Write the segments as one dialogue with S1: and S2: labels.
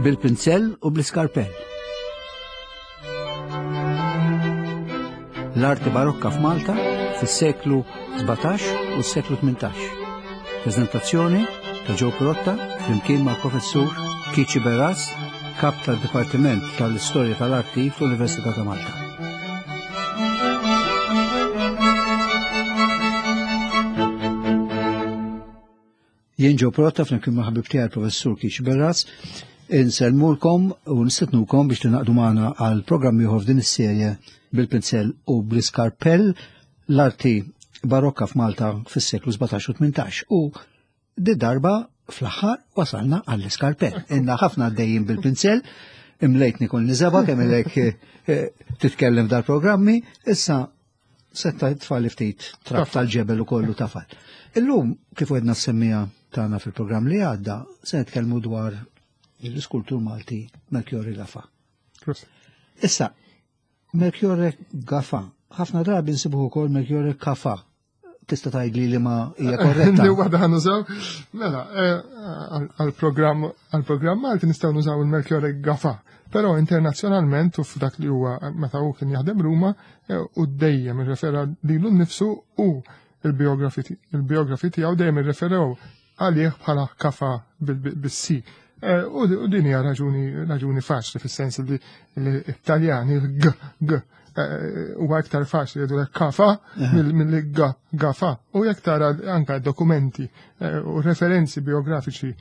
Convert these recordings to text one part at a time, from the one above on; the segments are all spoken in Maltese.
S1: Bil-pinzell u bl-iskarpell. L-arti barokka f'Malta fis-seklu 17 u s-seklu 18. Prezentazzjoni ta' Joe Pirotta flimkien mal-professur Kici Beras, kap tal-Dipartiment tal-Istorja tal-Arti fl-Università ta' Malta. Jien Joe Pirotta flimkien ma' ħabib tiegħi professur Kici Beras, insellmulkom u nistednukom biex tingħaqdu magħna għal programm ieħor f'din is-serje bil-pinzell u bl-iskarpell l-arti barokka f'Malta fis-seklu 17 u 18 u di darba fl-aħħar wasalna għall-iskarpell. Inna ħafna għaddejjin bil-pinzell, imlejtni kull niżeba kemm ilek eh, titkellem dal-programmi, issa setta tfal ftit trab tal-ġebel u kollu tafal. Illum, kif għedna semmija tagħna fil-programm li għadda, se nitkellmu dwar l-iskultur Malti Melchiorre Gafa. Issa, Melchiorre Gafa, ħafna drabi nsibuh ukoll Melchiorre Kafa. Tista' tgħidli li ma hija korretta.
S2: Li waħda ħa nużaw. Mela, eh, għall-programm għall-programm Malti nistgħu nużaw il-Melchiorre Gafa. Però internazzjonalment u f'dak li huwa meta hu kien jaħdem Ruma eh, u dejjem irrefera lilu nnifsu u il-biografi il-biografi tiegħu dejjem irreferew għalih bħala kafa bis-si. Eh, u din hija raġuni raġuni faċli fis-sens li l-Italjani l-g g eh, huwa iktar faċli jgħidu kafa milli g gafa. U jekk tara anka dokumenti eh, u referenzi biografiċi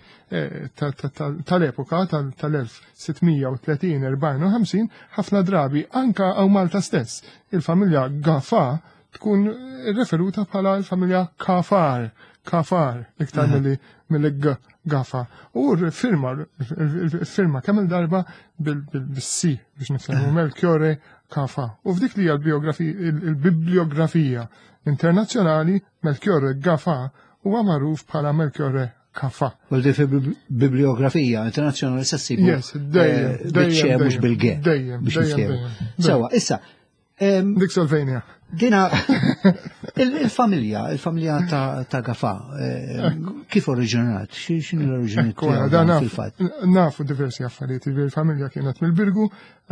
S2: tal-epoka tal-1630, 54, ħafna drabi anka hawn Malta stess il-familja Gafa tkun referuta bħala l-familja Kafar, Kafar, iktar milli milli Gafa. U firma, firma kemm il-darba bil-C biex nitkellmu Melchiorre Kafa. U f'dik li hija l-bibliografija internazzjonali Melchiorre Gafa huwa magħruf bħala Melchiorre Kafa.
S1: U di bibliografija internazzjonali se ssibu.
S2: Yes, dejjem,
S1: eh,
S2: dejjem,
S1: mhux bil-G.
S2: Dejjem, dejjem.
S1: Sewa, issa,
S2: Dik Solvenia.
S1: Dina, il-familja, il-familja ta' Gafa, kif oriġinat? X'inhu l-oriġini
S2: fil-fatt? Nafu diversi affarijiet, il-familja kienet mill-Birgu,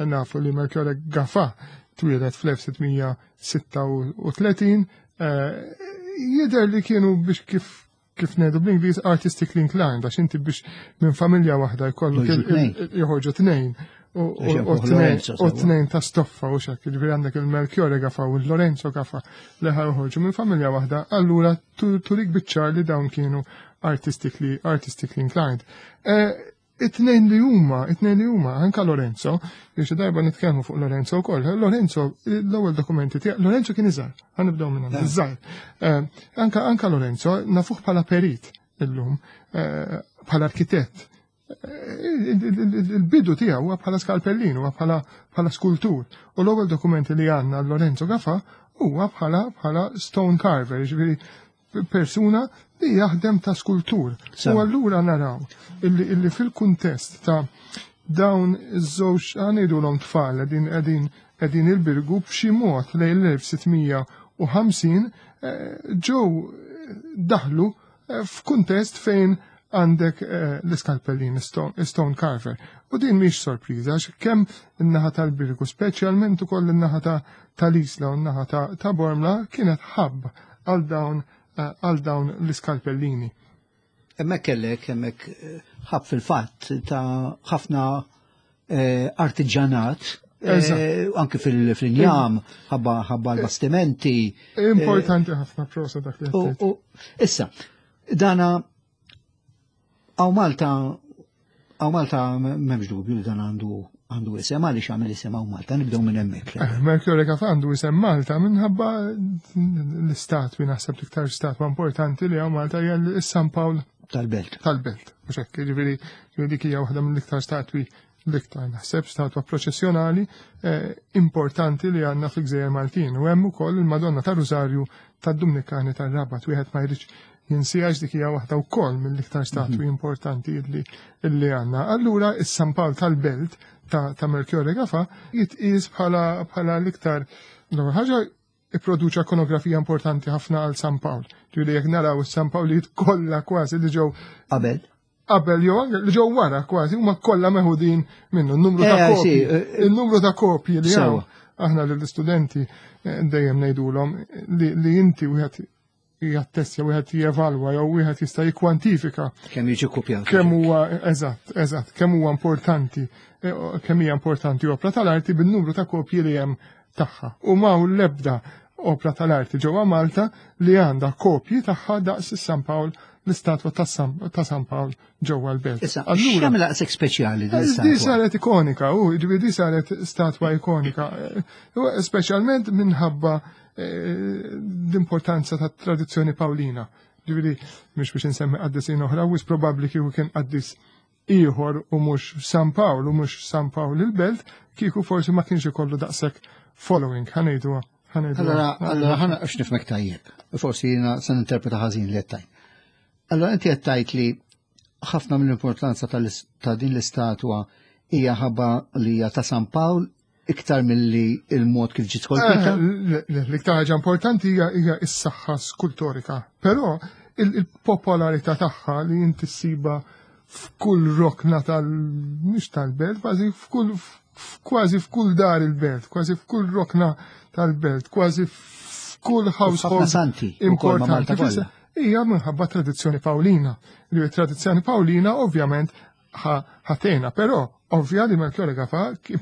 S2: nafu li Melchiorre Gafa twieled fl-1636, eh, jidher li kienu biex kif kif ngħidu bl-Ingliż artistically inclined għax inti biex minn familja waħda jkollok joħorġu tnejn u tnejn ta' stoffa u xek, ġifieri għandek il-Melchiorre Gafa u l-Lorenzo Gafa li ħarħorġu minn familja waħda, allura turik biċ-ċar li dawn kienu artistically artistically inclined. Eh, It-tnejn li huma, it-tnejn li huma, anka Lorenzo, li xi darba nitkellmu fuq Lorenzo wkoll. Lorenzo, l-ewwel dokumenti tiegħu, Lorenzo kien iżgħar, ħanibdew minn hemm, iżgħar. Eh, anka anka Lorenzo nafuh bħala perit illum, eh, bħala arkitett. Eh, il-bidu tiegħu huwa bħala skalpellin, huwa bħala bħala skultur. U l-ewwel dokumenti li għandna Lorenzo Gafa huwa bħala bħala stone carver, ġifieri persuna li jaħdem ta' skultur. U allura naraw illi fil-kuntest ta' dawn iż-żewġ għanidulhom tfal qegħdin qegħdin qegħdin il-birgu b'xi mod lejn l-1650 eh, ġew daħlu eh, f'kuntest fejn għandek eh, l-iskalpellin, stone carver. U din mhix sorpriża għax kemm in-naħa tal-Birgu, speċjalment ukoll in-naħa tal-Isla u n-naħa ta' Bormla kienet ħabb għal dawn eh, għal dawn l-iskalpellini.
S1: Hemmhekk kellek hemmhekk eh, ħabb fil-fatt ta' ħafna eh, artiġanat anke fil-injam, ħabba ħabba l-bastimenti.
S2: Importanti ħafna prosa dak li
S1: Issa, dana Għaw Malta, għaw Malta memx dubju li dan għandu għandu isem, għaliex għamil isem għaw Malta, nibdew minn hemmhekk.
S2: Eh, Mercury Cafe għandu isem Malta minħabba l-istatwi naħseb l-iktar statwa importanti li għaw Malta hija l-San Pawl
S1: tal-Belt.
S2: Tal-Belt, mhux hekk, jiġifieri dik hija waħda mill-iktar statwi l-iktar naħseb statwa proċessjonali eh, importanti li għandna fil-Gżejjer Maltin. U hemm ukoll il-Madonna ta' Rużarju tad-Dumnikani tar-Rabat wieħed ma jridx jinsijax dik hija waħda wkoll mill-iktar statwi mhm. importanti li għandna. Allura is-San Pawl tal-Belt ta', ta Melchiorre Gafa jitqies bħala bħala l-iktar l ħaġa ipproduċa ikonografija importanti ħafna għal San Pawl. Ġifieri jekk naraw is-San Pawlijiet kollha kważi li ġew
S1: qabel.
S2: qabel jew anke li ġew wara kważi huma kollha meħudin minnu n-numru ta'
S1: Eh,
S2: kopji.
S1: sì, eh,
S2: Il-numru ta' kopji li
S1: Sewa.
S2: hawn aħna lill-istudenti dejjem ngħidulhom li inti wieħed jattestja, wieħed jevalwa jew wieħed jista' jikkwantifika
S1: Kemm jiġi kopjat.
S2: kemm huwa eżatt, eżatt, kemm huwa importanti, kemm hija importanti opra tal-arti bin-numru ta' kopji li hemm tagħha. U m'hawn l-ebda opra tal-arti ġewwa Malta li għandha kopji tagħha daqs is-San Pawl, l-istatwa ta' San Pawl ġewwa l-belt.
S1: Issa,
S2: Allura,
S1: x'jagħmel daqshekk speċjali din
S2: Di
S1: l-istatwa?
S2: saret ikonika, u ġifieri di saret statwa ikonika, u speċjalment minħabba l-importanza ta' tradizzjoni Pawlina. Ġifieri, mhux biex insemmi qaddisin oħra, wis probabbli kieku kien qaddis ieħor u mhux San Pawl u mhux San Pawl il-belt, kieku forsi ma kienx ikollu daqshekk following, ħa ngħiduha. ħa ngħiduha.
S1: Allora, ħana għax nifhmek tajjeb. Forsi jiena se ninterpreta ħażin li qed tgħid. Allora inti qed tgħid li ħafna mill-importanza ta' din l-istatwa hija ħabba li hija ta' San Pawl iktar milli il-mod kif ġiet skolpita?
S2: L-iktar ħaġa importanti hija s-saħħa skultorika, però il-popolarità tagħha li inti ssiba f'kull rokna tal mhux tal-belt, kważi f'kull kważi f'kull dar il-belt, kważi f'kull rokna tal-belt, kważi f'kull
S1: Ħafna
S2: household
S1: santi ukoll ma' Malta
S2: importanti.
S1: kollha.
S2: Hija minħabba tradizzjoni Pawlina. Li tradizzjoni Pawlina ovvjament ħatena, però ovvja li Melchiorre Gafà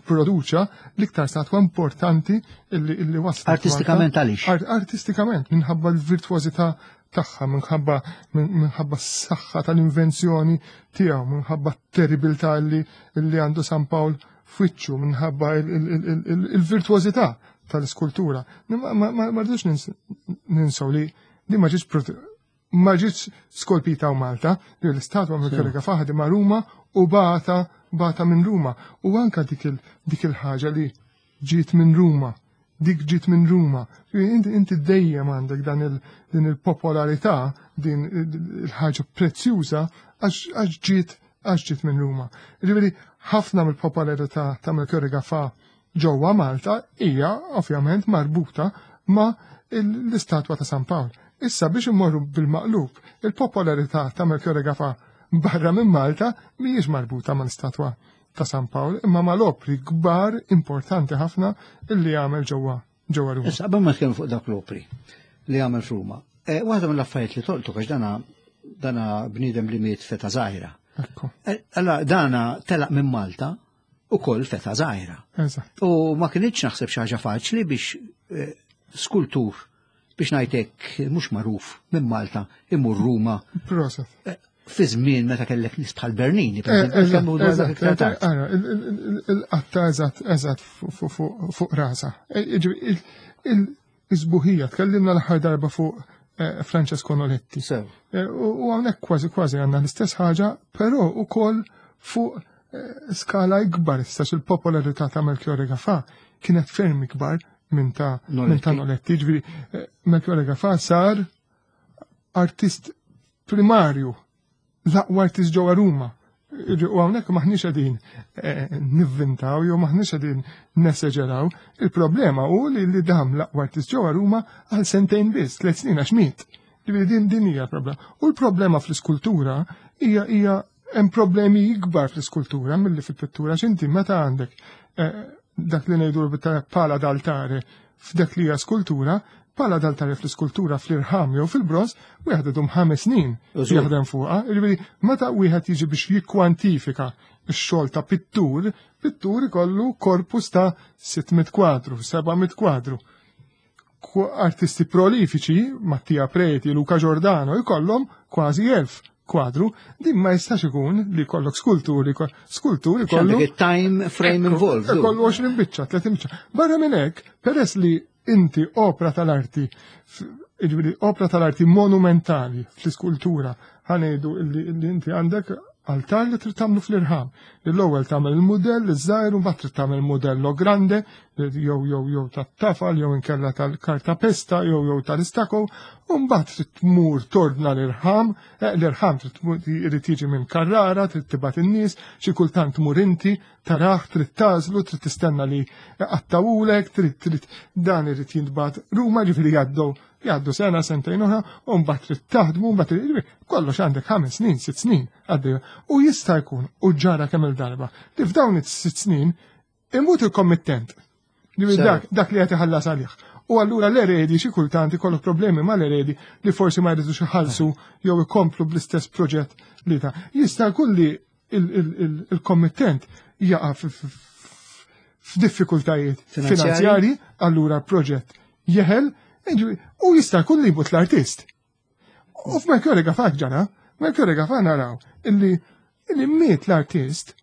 S2: produċa l-iktar statwa importanti illi waslet Malta.
S1: Artistikament għaliex?
S2: Artistikament, minħabba l-virtuożità tagħha, minħabba s-saħħa tal-invenzjoni tiegħu, minħabba t-terribilità li għandu San Pawl f'wiċċu, minħabba il-virtuożità tal-iskultura. Ma rridux ninsaw li di ma ġietx skolpita u Malta, li l-istatwa Melchiorre Gafà ħadimha Ruma u bata minn Ruma. U anka dik il-ħaġa li ġiet minn Ruma, dik ġiet minn Ruma. Inti dejjem għandek din il-popolarità, din il-ħaġa prezzjuża għax ġiet minn Ruma. Ġifieri ħafna mill-popolarità ta' Melchiorre Gafà ġewwa Malta hija ovvjament marbuta ma' l-istatwa ta' San Pawl. Issa biex immorru bil-maqlub, il-popolarità ta' Melchiorre Gafà barra minn Malta mhijiex marbuta mal-istatwa ta' San Pawl, imma mal-opri kbar importanti ħafna illi għamel ġewwa Ruma.
S1: Issa, qabel ma nitkellmu fuq dak l-opri li għamel f'Ruma, waħda mill-affarijiet li tolqtu għax dana bniedem li miet f'età żgħira. Allora, dana telaq minn Malta u koll f'età żgħira. U ma kienx naħseb xi ħaġa faċli biex skultur biex ngħidlek mhux magħruf minn Malta imur Ruma.
S2: Proset.
S1: Fi żmien meta kellek nies bħal Bernini, per eżempju, kemm hu dwar dak iktar tard.
S2: Ara, il-qatta eżatt fuq rasa. Il-isbuħija, tkellimna l-aħħar darba fuq Francesco Noletti. U hawnhekk kważi għandna l-istess ħaġa, però ukoll fuq skala ikbar, issa il-popolarità ta' Melchiorre Gafà kienet ferm ikbar minn ta'
S1: Noletti.
S2: Noletti. Ġifieri Melchiorre Gafà sar artist primarju, l-aqwa artist ġewwa Ruma. U hawnhekk maħniex qegħdin nivvintaw jew maħniex qegħdin neseġeraw. Il-problema hu li dam l-aqwa artist ġewwa Ruma għal sentejn biss, 3 snin għax miet. Ġifieri din hija problema. U l-problema fl-iskultura hija hemm problemi ikbar fl-iskultura milli fil-pittura. X'inti meta għandek dak li ngħidu pala d'altare f'dak li hija skultura, pala d'altare fl-iskultura fl-irħam jew fil-bronż, wieħed idum 5 snin jaħdem fuqha. Ġifieri meta wieħed jiġi biex jikkwantifika x-xogħol ta' pittur, pittur ikollu korpus ta' 600 kwadru, 700 kwadru. Artisti prolifiċi, Mattia Preti, Luca Giordano, jkollhom kważi 1000 kwadru. Din ma jistax ikun li kollok skulturi, skulturi
S1: X'għandek
S2: kollu
S1: il-time frame
S2: Ekku,
S1: involved, du.
S2: Kollu 20 biċċa, 30 biċċa. Barra minn hekk, peress li inti opra tal-arti, jiġifieri opra tal-arti monumentali fl-iskultura, ħanejdu illi inti għandek altar li trid tagħmlu fl-irħam. L-ewwel tagħmel il-mudell iż-żgħir u mbagħad trid tagħmel il-mudell grande jew tat-tafal jew inkella tal-karta pesta jew tal-istako, u mbagħad trid tmur tordna l-irħam, l-irħam trid tmur, irid jiġi minn Carrara, trid tibgħat in-nies, xi kultant tmur inti taraħ, trid tażlu, trid tistenna li qattawulek, trid dan irid jintbagħat Ruma, ġifieri jgħaddu Jgħaddu sena, sentejn oħra, u mbagħad trid taħdmu, mbagħad trid kollox għandek 5 snin, 6 snin għaddej. U jista' jkun u ġara kemm il-darba li f'dawn is-6 snin imut il-kommittent. Dak, dak li qed iħallas għalih. U allura l-eredi xi kultant ikollok problemi mal-eredi li forsi ma jridux iħallsu jew ikomplu bl-istess proġett li ta'. Jista' jkun li il-kommittent jaqa' f'diffikultajiet finanzjari, allura proġett jeħel, u jista' jkun li jmut l-artist. U f'Mercury Gafà ġara, Mercury Gafà naraw illi illi miet l-artist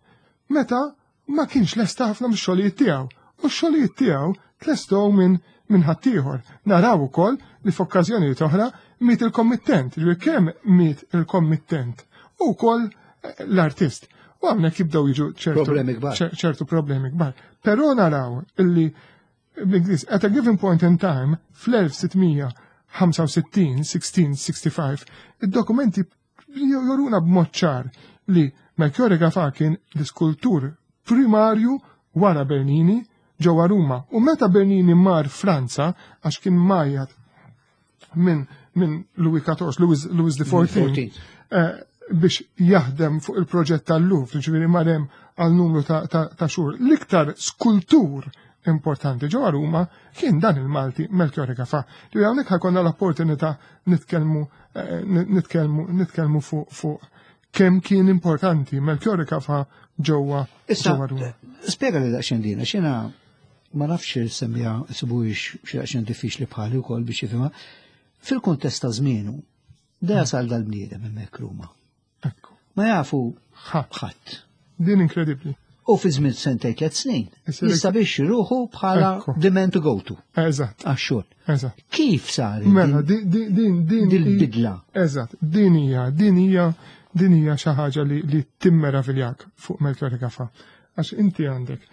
S2: meta ma kienx lesta ħafna mix-xogħlijiet tiegħu. U x-xogħlijiet tiegħu tlestow minn minn ħaddieħor. Naraw ukoll li f'okkażjonijiet oħra miet il-kommittent, li kemm miet il-kommittent u wkoll l-artist. U hawnhekk jibdew jiġu ċertu
S1: problemi kbar.
S2: ċertu problemi kbar. Però naraw illi bl-Ingliż at a given point in time fl-1665, 1665, id-dokumenti joruna b'mod ċar li Melchiorre Gafà kien l-iskultur primarju wara Bernini ġewwa Ruma. U meta Bernini mar Franza, għax kien majjat minn min Louis XIV, Louis, Louis XIV, eh, biex jaħdem fuq il-proġett tal-Louvre, ġifieri marem għal numru ta', ta, ta xhur. L-iktar skultur importanti ġewwa Ruma kien dan il-Malti Melchiorre Gafà. Li hawnhekk ħajkonna l-opportunità nitkellmu eh, nitkellmu nitkellmu fuq fuq kemm kien importanti Melchiorre Gafà ġewwa ġewwa Ruma.
S1: Spjega li daqsxejn dina, x'jiena ma nafx semmija sibuhiex xi daqsxejn diffiċli bħali wkoll biex jifhimha. Fil-kuntest ta' żmienu, da jasal dal-bniedem hemmhekk Ruma. Ma jafu ħadd.
S2: Din inkredibbli.
S1: U fi żmien sentej tliet snin, jista' biex ruħu bħala the man to go to.
S2: Eżatt.
S1: Għax-xogħol.
S2: Eżatt.
S1: Kif sar?
S2: Mela, din din din
S1: il-bidla.
S2: Eżatt, din hija, din hija din hija xi ħaġa li, li timmeraviljak fuq Melchior Gafa. Għax inti għandek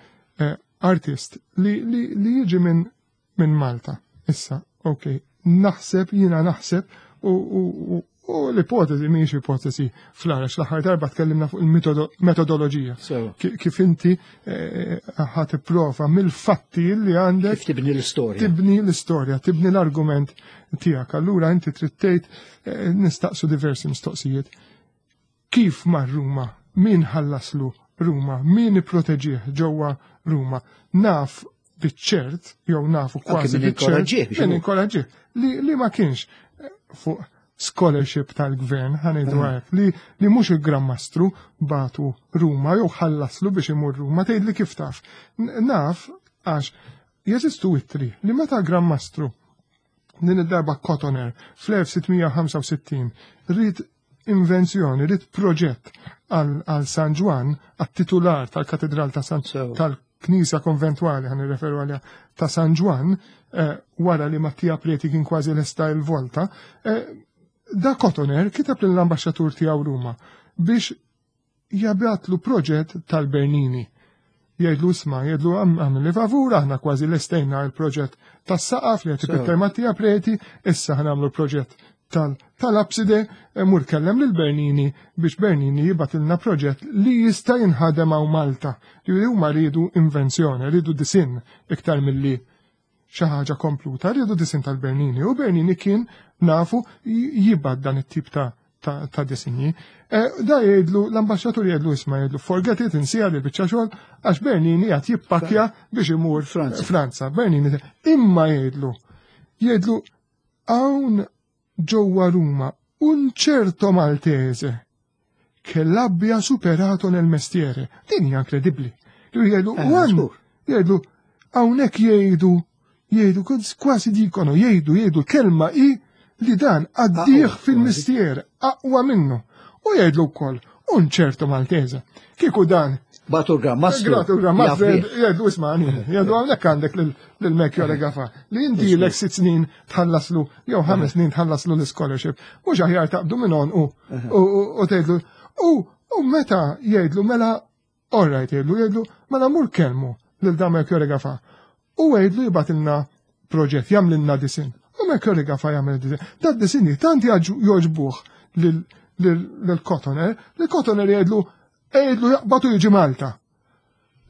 S2: eh, artist li, li, li jiġi minn min Malta. Issa, ok, naħseb, jina naħseb, u, u, u, u l-ipotezi mhijiex ipotezi fl-għarax l-aħħar darba tkellimna fuq il-metodoloġija. Kif inti eh, ħa tipprova mill-fatti li għandek.
S1: Kif tibni l-istorja.
S2: Tibni l-istorja, tibni l-argument tiegħek. Allura inti trid tgħid eh, nistaqsu diversi mistoqsijiet. Kif mar Ruma? Min ħallaslu Ruma? Min ipproteġih ġewwa Ruma? Naf biċ-ċert, jew nafu kważi
S1: biċ-ċert,
S2: min inkoraġġih, li, li ma kienx eh, fuq scholarship tal-gvern, ħanejdu mm. hekk, li, li mhux il-Gran Mastru batu Ruma jew ħallaslu biex imur Ruma, tgħid li kif taf. Naf għax jeżistu ittri li meta Gran Mastru din id-darba Cotoner fl-1665 rrid invenzjoni, rrid proġett għal San Ġwann, għat-titular tal-Katedral ta' San tal-Knisja Konventwali, ħan referu għalija, ta' San Ġwann, eh, wara li Mattia Preti kien kważi lesta il-volta, eh, da Cotoner kiteb lill-ambaxxatur tiegħu Ruma biex jabgħatlu proġett tal-Bernini. Jgħidlu isma', jgħidlu għamilli favur, aħna kważi lestejna l-proġett tas-saqaf li qed ipitter Mattia Preti, issa ħanamlu proġett tal-abside, eh, mur kellem lil Bernini biex Bernini jibatilna proġett li jista' jinħadem hawn Malta. Li huma rridu invenzjoni, rridu disin iktar milli xi ħaġa kompluta, rridu disin tal-Bernini u Bernini kien nafu jibgħat dan it-tip ta' ta', ta disinji. E, da jgħidlu, l-ambasċatur jgħidlu isma' jgħidlu forget it, insija li biċċa xogħol għax Bernini qed jippakkja biex imur Franza. Franza. Bernini imma jgħidlu jgħidlu hawn ġewwa Ruma un certo Maltese che l'abbia superato nel mestiere. Din hija inkredibbli. Jgħidu, eh, jgħidu, hawnhekk jgħidu, jgħidu, kważi dikono, jgħidu, jgħidu kelma i li dan għaddih fil-mistier aqwa minnu. U jgħidlu wkoll, un ċertu Maltese. Kieku dan.
S1: Batu Gran Mastru.
S2: Gratu Gran Mastru, jgħidu ismani, jgħidu hawnhekk għandek lil Mekjo Gafa li inti l sitt snin tħallaslu jew 5 snin tħallaslu l-scholarship, mhux aħjar taqbdu minn u u tgħidlu u meta jgħidlu mela all right jgħidlu jgħidlu mela mur kelmu lil dan Melchiorre Gafa u jgħidlu jibgħatilna proġett jagħmlilna disin. U Melchiorre Gafa jagħmel disin. Da disinji tant jogħġbuh lil Cotoner, li Cotoner jgħidlu jgħidlu jaqbatu jiġi Malta.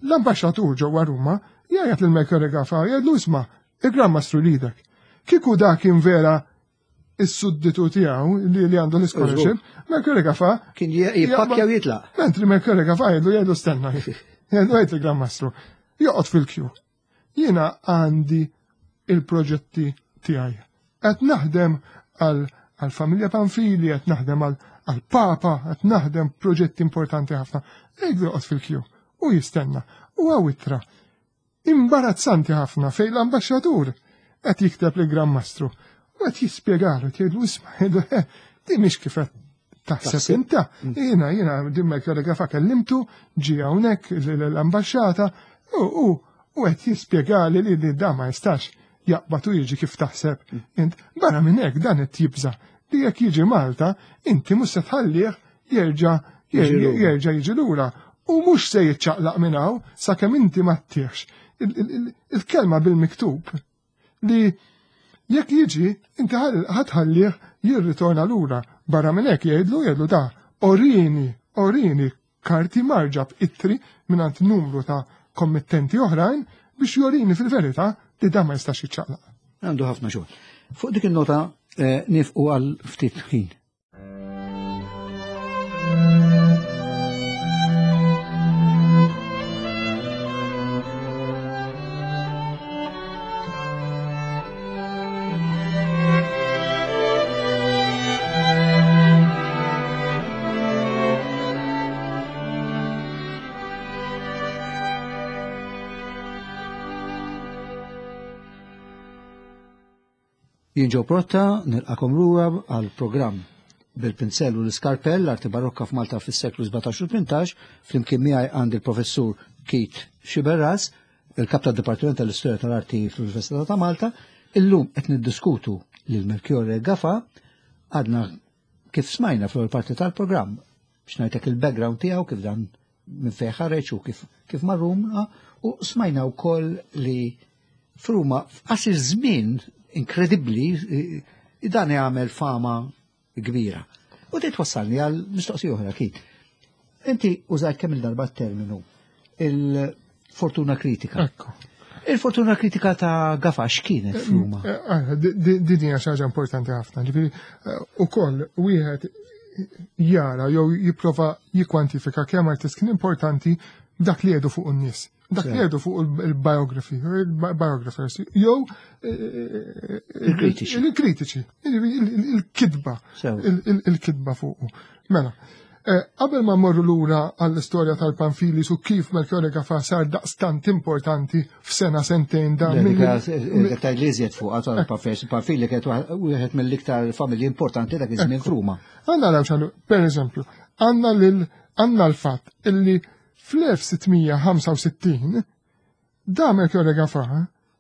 S2: L-ambaxxatur ġewwa Ruma jgħid lil Melchiorre Gafa jgħidlu isma' il-Gran Mastru jridek. Kieku da kien vera is-sudditu tiegħu li li għandu l-scholarship, Mercury Gafa.
S1: Kien jippakkja u jitlaq.
S2: Mentri Mercury Gafa jgħidu jgħidu stenna. Jgħidu għid il-Gran Mastru. Joqgħod fil-kju. Jiena għandi il-proġetti tiegħi. Qed naħdem għal familja Panfili, qed naħdem għal-Papa, qed naħdem proġetti importanti ħafna. Jgħidu joqgħod fil-kju u jistenna. U hawn ittra imbarazzanti ħafna fejn l-ambaxxatur qed jikteb li Gran Mastru u qed jispjegalu, jgħidlu isma' jgħidlu eh, di mhix kif qed taħseb inta. Jiena jiena din Melchiorre Gafa kellimtu, ġie hawnhekk l-ambaxxata u qed jispjegali li li da ma jistax jaqbad u jiġi kif taħseb. Int barra minn hekk dan qed jibża' li jekk jiġi Malta, inti mhux se tħallih jerġa' jerġa' jiġi lura. U mhux se jiċċaqlaq minn hawn sakemm inti ma ttieħx il-kelma bil-miktub li jekk jiġi inti ħa tħallih jirritorna lura. Barra minn hekk jgħidlu jgħidlu da orini, orini karti marġab ittri mingħand numru ta' kommittenti oħrajn biex jorini fil-verità li da ma jistax jiċċaqlaq.
S1: Għandu ħafna xogħol. Fuq dik il-nota nifqu għal ftit ħin. Jien Joe Protta, nilqakom lura għal programm bil-pinzell u l-iskarpell l-arti barokka f'Malta fis-seklu 17 u 18, flimkien miegħi għandi l-professur Keith Sciberras, il-kap tad-Dipartiment tal-Istorja tal-Arti fl-Università ta' Malta. Illum qed niddiskutu lil Melchiorre Gafa, għadna kif smajna fl-ewwel parti tal-programm biex ngħidlek il-background tiegħu kif dan minn fejn ħareġ u kif kif mar Ruma, u smajna wkoll li f'Ruma f'qasir żmien inkredibbli dan jagħmel fama kbira. U dit twassalni għal mistoqsija oħra, Keith. Inti użajt kemm il-darba terminu il-fortuna kritika.
S2: Ekku.
S1: Il-fortuna kritika ta' Gafa x'kienet f'Ruma?
S2: Din hija xi ħaġa importanti ħafna. Ġifieri ukoll wieħed jara jew jipprova jikkwantifika kemm artist kien importanti dak li jgħidu fuq in-nies. Dak li jgħidu fuq il-biography, il-biographers, jew
S1: Il-kritiċi.
S2: Il-kritiċi, il-kitba, il-kitba fuqu. Mela, qabel ma mmorru lura għall-istorja tal-Panfili su kif Melchiorre Gafa sar daqstant importanti f'sena sentejn da.
S1: Dak ta' li iżjed fuq tal-Panfili, Panfili kienet wieħed mill-iktar familji importanti dak iż-żmien f'Ruma.
S2: Għandna naraw x'għandu, per eżempju, għandna lil għandna l-fatt illi fl-1665 da Melchiorre Gafa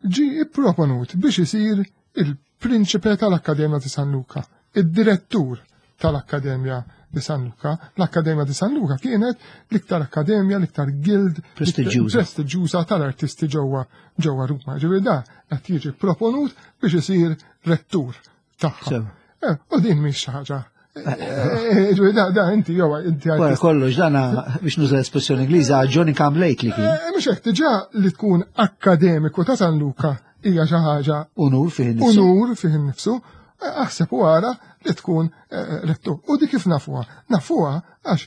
S2: ġi ipproponut biex isir il-prinċipe tal-Akkademja di San Luca, id-direttur tal-Akkademja di San Luca. L-Akkademja di San Luca kienet l-iktar akkademja, l-iktar guild
S1: prestiġjuża
S2: prestiġjuża tal-artisti ġewwa ġewwa Ruma. Ġifieri da qed jiġi proponut biex isir rettur tagħha. U din mhix xi ħaġa. Ġifieri da inti jew inti
S1: Wara kollox dana biex nuża l-espressjoni Ingliża Johnny come lately kien.
S2: Mhux hekk diġà li tkun akkademiku ta' San Luca hija xi ħaġa
S1: Unur fih innifsu.
S2: Unur fih innifsu. Aħseb u ara li tkun rettur. U di kif nafuha? Nafuha għax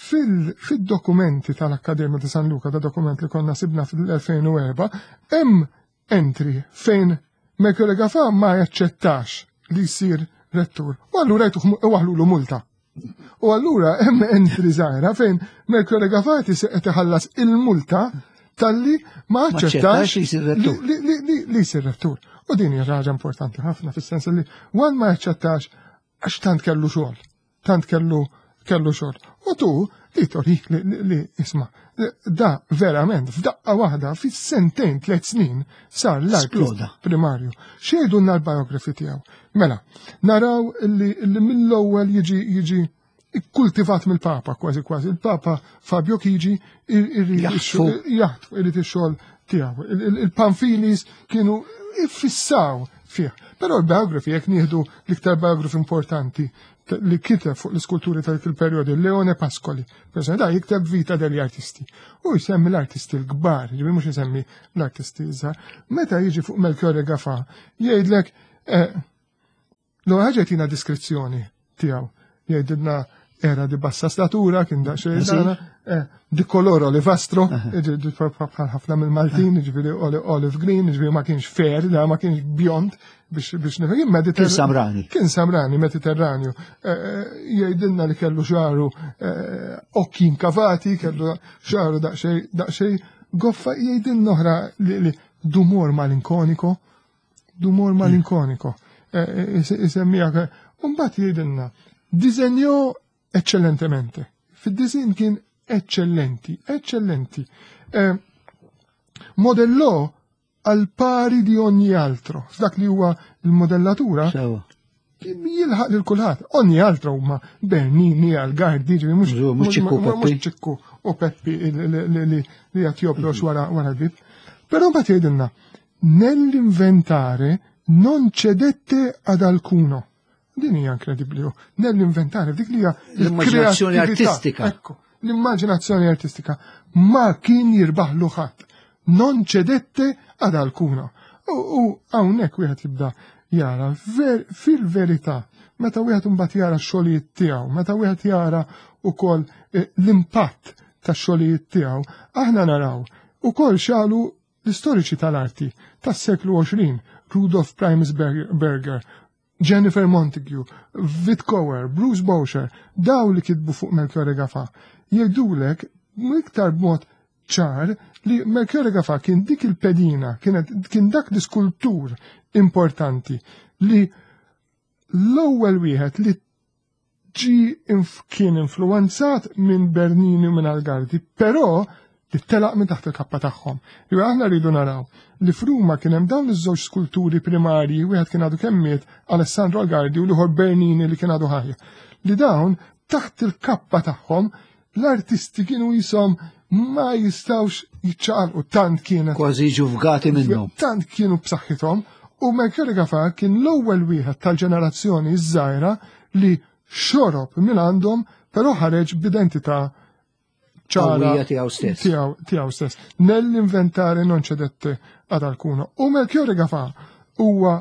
S2: fil-dokumenti tal-Akkademja ta' San Luca, da dokument li konna sibna fil-2004, hemm entry fejn Melchiorre Gafa ma jaċċettax li jsir rettur. U allura jtuh multa. U allura hemm entry żgħira fejn Melchiorre Gafa qed iħallas il-multa talli ma aċċettax li jsir rettur. U din hija ħaġa importanti ħafna fis-sens li one ma jaċċettax għax tant kellu xogħol, tant kellu kellu xogħol. U tu li torik li isma' da verament f'daqqa waħda fis-sentejn 3 snin sar l-artist primarju. X'jgħidulna l-biografi tiegħu? Mela, naraw li mill-ewwel jiġi ikkultivat mill-Papa kważi kważi. Il-Papa Fabio Chigi jaħtfu irid ix-xogħol tiegħu. Il-Panfilis kienu iffissaw fih. Però l-biografi, jekk nieħdu l-iktar biografi importanti li kiteb fuq l-iskulturi tal il-perjodi, Leone Pascoli, per da jikteb Vita degli Artisti. U jsemmi l-artisti l-kbar, ġibi mhux jsemmi l-artisti iżgħar. Meta jiġi fuq Melchiorre Gafa, jgħidlek eh, L-ewwel ħaġa jtina diskrizzjoni tiegħu. Jgħidilna era di bassa statura, kien daqsxejn dana, eh, di kolor olivastro, bħal ħafna mill-Maltin, ġifieri olive green, ġifieri ma kienx fair, da ma kienx bjond biex biex nifhem.
S1: Kien samrani.
S2: Kien samrani, Mediterranju. Eh, eh, jgħidilna li kellu xaru okki inkavati, kellu xaru daqsxejn daqsxejn goffa jgħidilna oħra li dumor malinkoniko, Dumor malinkoniko. Eh, eh, isemmija, Umbat jgħidilna, disenjo eccellentemente. Fid-disin kien eccellenti, eccellenti. Eh, modellò għal pari di ogni altro. F'dak li huwa l-modellatura, jilħaq lil kulħadd. Ogni altro huma Bernini, Algardi, ġifieri
S1: mhux ċikku
S2: mhux ċikku u Peppi li qed jobrox wara wara l-bib. Però mbagħad jgħidilna nell-inventare non cedette ad alcuno. Din hija inkredibbli. Nell-inventare dik li hija
S1: l-immaġinazzjoni artistika.
S2: Ekku, l-immaġinazzjoni artistika ma kien jirbaħlu ħadd. Non cedette ad alcuno. U hawnhekk wieħed jibda jara fil-verità meta wieħed imbagħad jara x-xogħlijiet tiegħu, meta wieħed jara wkoll eh, l-impatt tax-xogħlijiet tiegħu, aħna naraw ukoll xalu l-istoriċi tal-arti tas-seklu 20, Rudolf Primesberger, Jennifer Montague, Vit Kower, Bruce Boucher, daw li kitbu fuq Melchiorre Gafa, jgħidulek iktar b'mod ċar li Melchiorre Gafa kien dik il-pedina, kien dak l-iskultur importanti li l-ewwel wieħed li ġi kien influenzat minn Bernini u minn Algardi, però li telaq minn taħt il-kappa tagħhom. Li aħna rridu naraw li f'Ruma kien hemm dawn iż-żewġ skulturi primarji, wieħed kien għadu kemm miet Alessandro Algardi u l-ieħor Bernini li kien għadu ħajja. Li dawn taħt il-kappa tagħhom l-artisti kienu jisom ma jistawx jiċċaqalqu tant kienet.
S1: Kważi jiġu fgati minnhom.
S2: Tant kienu b'saħħithom u Mercury Gafa kien l-ewwel wieħed tal-ġenerazzjoni żgħira li xorob minn għandhom però ħareġ b'identità
S1: ċara tiegħu stess.
S2: Tiegħu stess. Nell-inventare non cedette ad alcuno. U Melchiorre Gafa huwa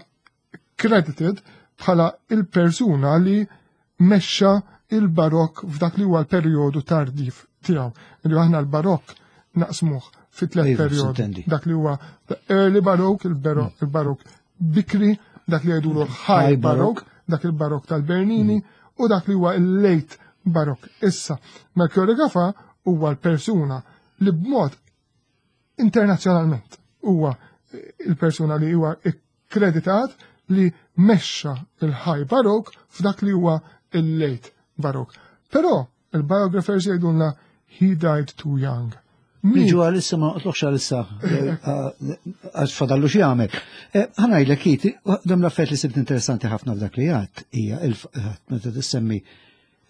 S2: credited bħala il-persuna li mexxa il-barokk f'dak li huwa l-perjodu tardif tiegħu. Li aħna l-barokk naqsmuh fi tliet iva, perjodi. Dak li huwa early barokk, il-barokk mm. bikri, dak li jgħidulu high barokk, dak il-barokk tal-Bernini, mm. u dak li huwa il-late barokk. Issa, Melchiorre Gafa huwa l-persuna li b'mod internazzjonalment huwa il-persuna li huwa kkreditat li mexxa il-High Baroque f'dak li huwa il-Late Baroque. Però il-biographers jgħidulna he died too young.
S1: Niġu għalissa ma noqtlokx għalissa għax fadallu xi jagħmel. Eh, ħanajlek kiti, dam l-affarijiet li sibt interessanti ħafna f'dak li għad hija eh, meta tissemmi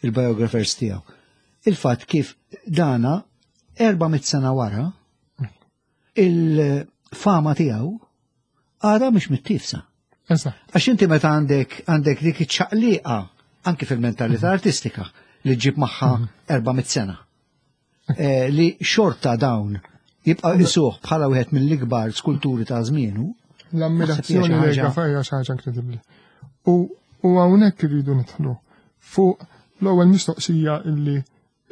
S1: il-biographers tiegħu. Il-fatt kif dana 400 sena wara il-fama tiegħu għadha mhix mittifsa. Għax inti meta għandek għandek dik iċ-ċaqliqa anki fil-mentalità mhm. artistika li ġib magħha 400 mhm. sena. Eh, li xorta dawn jibqa' isuh bħala wieħed mill-ikbar skulturi ta' żmienu.
S2: L-ammirazzjoni li hija xi ħaġa inkredibbli. U hawnhekk irridu nidħlu fuq l-ewwel mistoqsija illi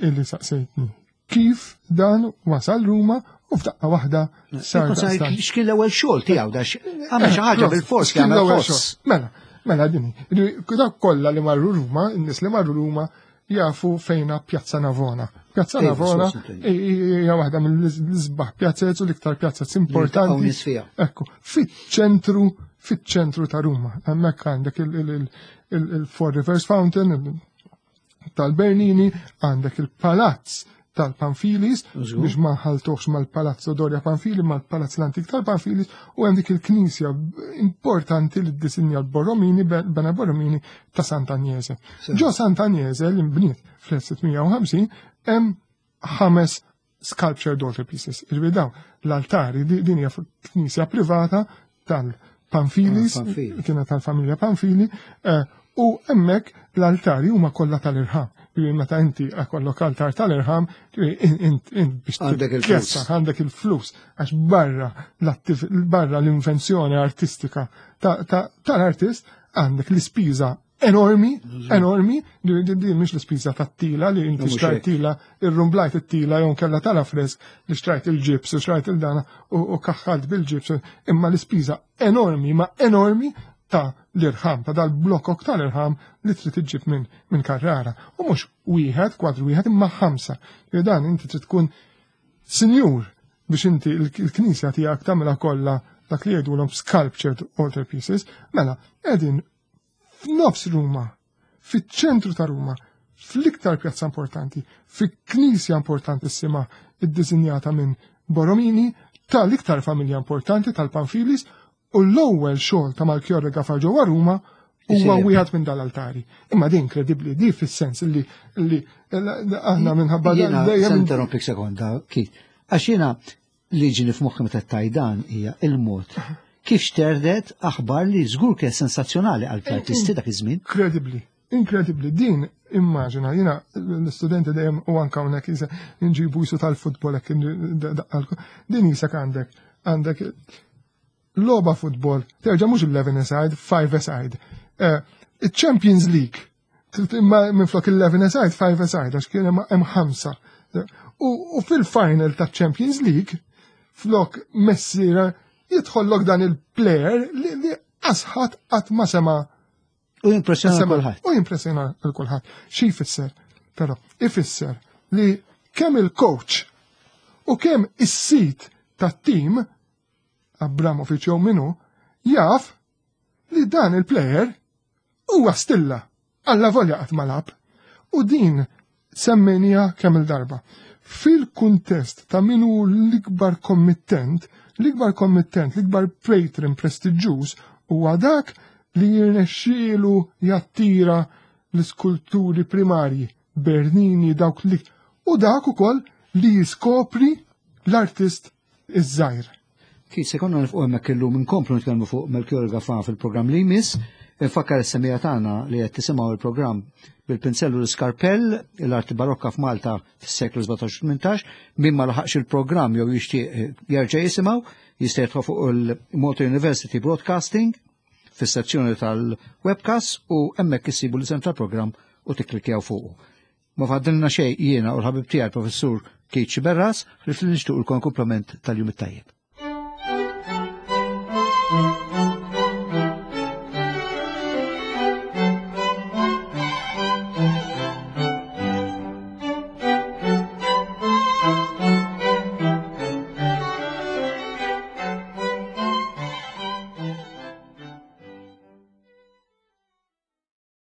S2: illi saqsejtni. Kif dan wasal Ruma u f'daqqa waħda
S1: sar. X'kien l-ewwel xogħol tiegħu da għamel xi ħaġa bil-fors kien l-ewwel xogħol.
S2: Mela, mela dini. Dak kollha li marru Ruma, in-nies li marru Ruma jafu fejna Pjazza Navona. Pjazza Navona hija waħda mill-isbaħ pjazzez u l-iktar pjazzez importanti. Ekku, fiċ-ċentru fiċ-ċentru ta' Ruma. Hemmhekk għandek il-Four Rivers Fountain, tal-Bernini, għandek il-palazz tal-Panfilis, biex ma ħaltuħx mal-Palazzo Doria Panfili, mal-Palazz l-Antik tal-Panfilis, u hemm dik il-knisja importanti li ddisinja l-Borromini, Bena Borromini ta' Sant'Agnese. Ġo Sant'Agnese li nbniet fl-1650 hemm ħames sculpture daughter pieces. Ġifieri dawn l-altari din hija knisja privata tal Panfilis, ah, kienet tal-familja Panfili, eh, u hemmhekk l-altari huma kollha tal-irħam. Ġifieri meta inti kollok altar tal-irħam, biex
S1: għandek il-flus.
S2: Għandek il-flus, għax barra barra l-invenzjoni artistika tal-artist għandek l-ispiża enormi, enormi, di mhix l-ispiża tat-tila li inti xtrajt tila, irrumblajt it-tila jew kella tal-afresk li xtrajt il-ġibs u xtrajt il-dana u kaħħalt bil-ġibs, imma l-ispiża enormi, ma enormi ta' l-irħam, ta' dal-blokok tal-irħam li trid iġġib minn min Carrara. U mhux wieħed, kwadru wieħed, imma ħamsa. Dan inti trid tkun sinjur biex inti l-knisja tiegħek tagħmilha kollha dak li jgħidulhom sculptured altar pieces, mela qegħdin f'nofs Ruma, fiċ-ċentru ta' Ruma, fl-iktar pjazza importanti, fi knisja importantissima iddisinjata minn Borromini, tal-iktar familja importanti tal-Panfilis u l-ewwel xogħol ta' Malchiorre Gafà ġewwa Ruma huwa wieħed minn dal-altari. Imma din inkredibbli, di fis-sens li li aħna minħabba
S1: dejjem. Interrompik sekonda, Kit. Għax jiena li ġini f'moħħi meta tajdan hija il-mod kif xterdet aħbar li żgur kien sensazzjonali għal artisti dak iż-żmien.
S2: Inkredibbli, inkredibbli. Din immaġina, jiena l-istudenti dejjem u anka hawnhekk jisa nġibu jisu tal-futbol hekk din jisek għandek għandek logħba futbol, terġa' mhux 11 aside, 5 aside. Eh, Champions League, imma minflok 11 aside, 5 aside, għax kien hemm ħamsa. U fil-final ta' Champions League, flok Messi jidħollok dan il-player li asħat qatt ma sema'
S1: U jimpressjona kulħadd.
S2: U jimpressjona kulħadd. Xi jfisser? Però ifisser li kemm il-coach u kemm is-sit tat-tim Abramovic jew minu jaf li dan il-player huwa stilla alla volja qatt ma lab. U din semmejnija kemm il-darba. Fil-kuntest ta' min hu l-ikbar kommittent, l-ikbar kommittent, l-ikbar patron prestiġjuż huwa dak li jirnexxielu jattira l-iskulturi primarji, Bernini, dawk li u dak ukoll li jiskopri l-artist iż-żgħir.
S1: Kif se konna nifqu hemmhekk illum inkomplu nitkellmu fuq Melchior Gafà fil-programm li jmiss. Infakkar is-semija tagħna li qed tisimgħu il-programm bil-pinzellu l-iskarpell, l-arti barokka f'Malta fis-seklu 17-18, min ma laħaqx il-programm jew jixtieq jerġa' jisimgħu, jista' jidħol fuq il-Malta University Broadcasting fis-sezzjoni tal-webcast u hemmhekk issibu l-isem tal-programm u tikklikjaw fuqu. Ma fadlilna xejn jiena u l-ħabib tiegħi professur Keith Sciberras, ħlief li nixtiequlkom kumplament tal-jum it-tajjeb.